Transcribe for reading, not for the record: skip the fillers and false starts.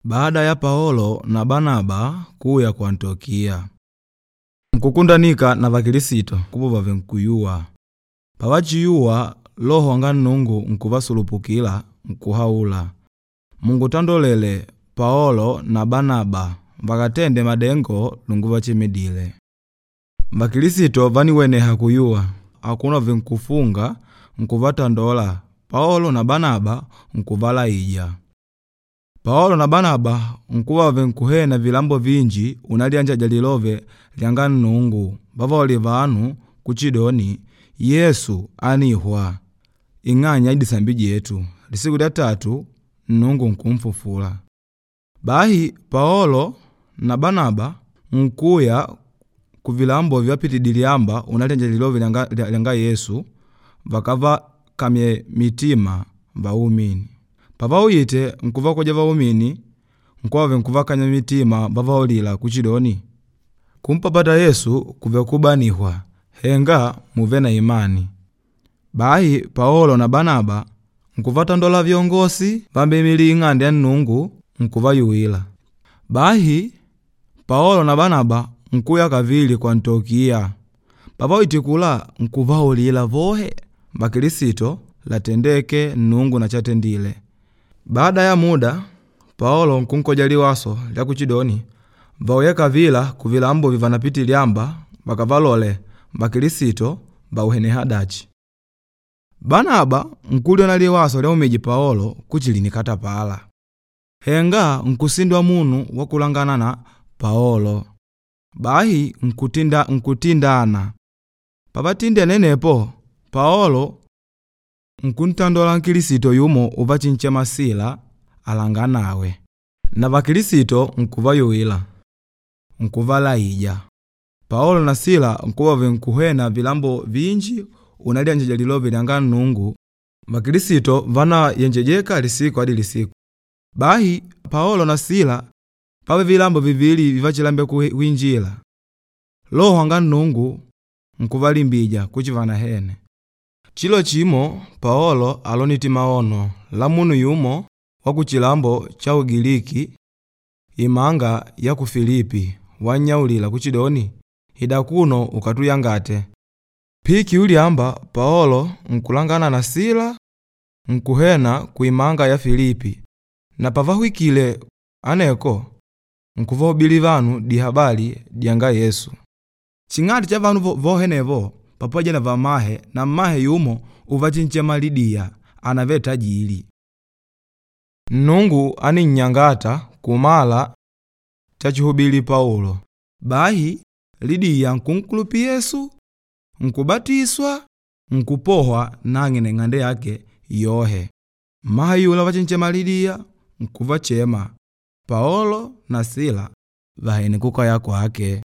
Baada ya Paolo na Banaba kuya ku Antiokiya, nkukundanika na Vakilisito kuva venkuyuwa. Pavachiyuwa Loho wanga Nnungu nkuvasulupukila nkuhaula, mungutandolele Paolo na Banaba vakatende madengo lunguvachemedile. Vakilisito vániweneha kuyuwa, akuno venkufunga nkuvatandola Paolo na Banaba nkuvalaija. Paolo na Banaba nkuva venkuhena vilambo vinji unalyanjaja lilove lyanga Nnungu vavaulila vanu kuchidoni Yesu ánihwa ing'anya ya disambi dyetu, lisiku lya tatu Nnungu nkunfufula. Bahi Paolo na Banaba nkuya kuvilambo vivapitidile liamba unalyanjaja lilove lyanga Yesu vakavakamye mitima vaumini. Pavauyite nkuvakoja vaumini nkuva venkuvakanya mitima vavaulila kuchidoni, kumpapata Yesu kùvele kubanihwa henga mùùve na imani. Bahi Paolo na Banaba nkuvatandola vyongosi vambeimilîla Ing'ande ya Nnungu nkuvayuwila. Bahi Paolo na Banaba nkuya kavili ku Antokiya. Pavawite kula nkuvaulila vohe Vakilisito latendêke Nnungu na chatendile. Baada ya muda, Paolo nkunkoja liwaso lya kuchidoni vauye kavila kuvilambo vivanapite liamba vakavalole Vakilisito vauheneha dachi. Banaba nkulyona liwaso lyaumije Paolo kuchi lìnikatapala. Henga nkusindwa munu wa kulangana na Paolo. Bahi nkutindana. Pavatindene anepo, Paolo nkuntandola Nkilisito yumo uvachinchema Sila alanganawe. Na Vakilisito nkuvayuwila, nkuvalaija. Paolo na Sila nkuva venkuhwena vilambo vinji unalyanjaja lilove lyanga Nnungu. Vakilisito vánayenjejeka lisiku adi lisiku. Bahi Paolo na Sila pávele vilambo vivili vivachilambela kuinjila. Loho wanga Nnungu nkuvalimbija kuchi vanahene. Chilo chimo Paolo alonite maono la munu yumo wa kuchilambo cha Ugiliki imanga ya ku Filipi wannyaulila kuchidoni, ida akuno ukatuyangate. Piikiulyamba Paolo nkulangana na Sila nkuhwena kuimanga ya Filipi na pavahwikile aneko nkuvahubili vanu dihabali dyanga Yesu. Ching'ati cha vanu vohenevo pamoja na vamahe na mmahe yumo uvachinchema Lidiya ànavele tajili. Nnungu áninnyangata kumala chachihubili Paulo. Bahi Lidiya nkunkulupila Yesu, nkubatiswa, nkupohwa nang'e na ing'ande yake yohe. Mmahe ayula uvachinchema Lidiya nkuvachema Paolo na Sila vahene kukaya kwake.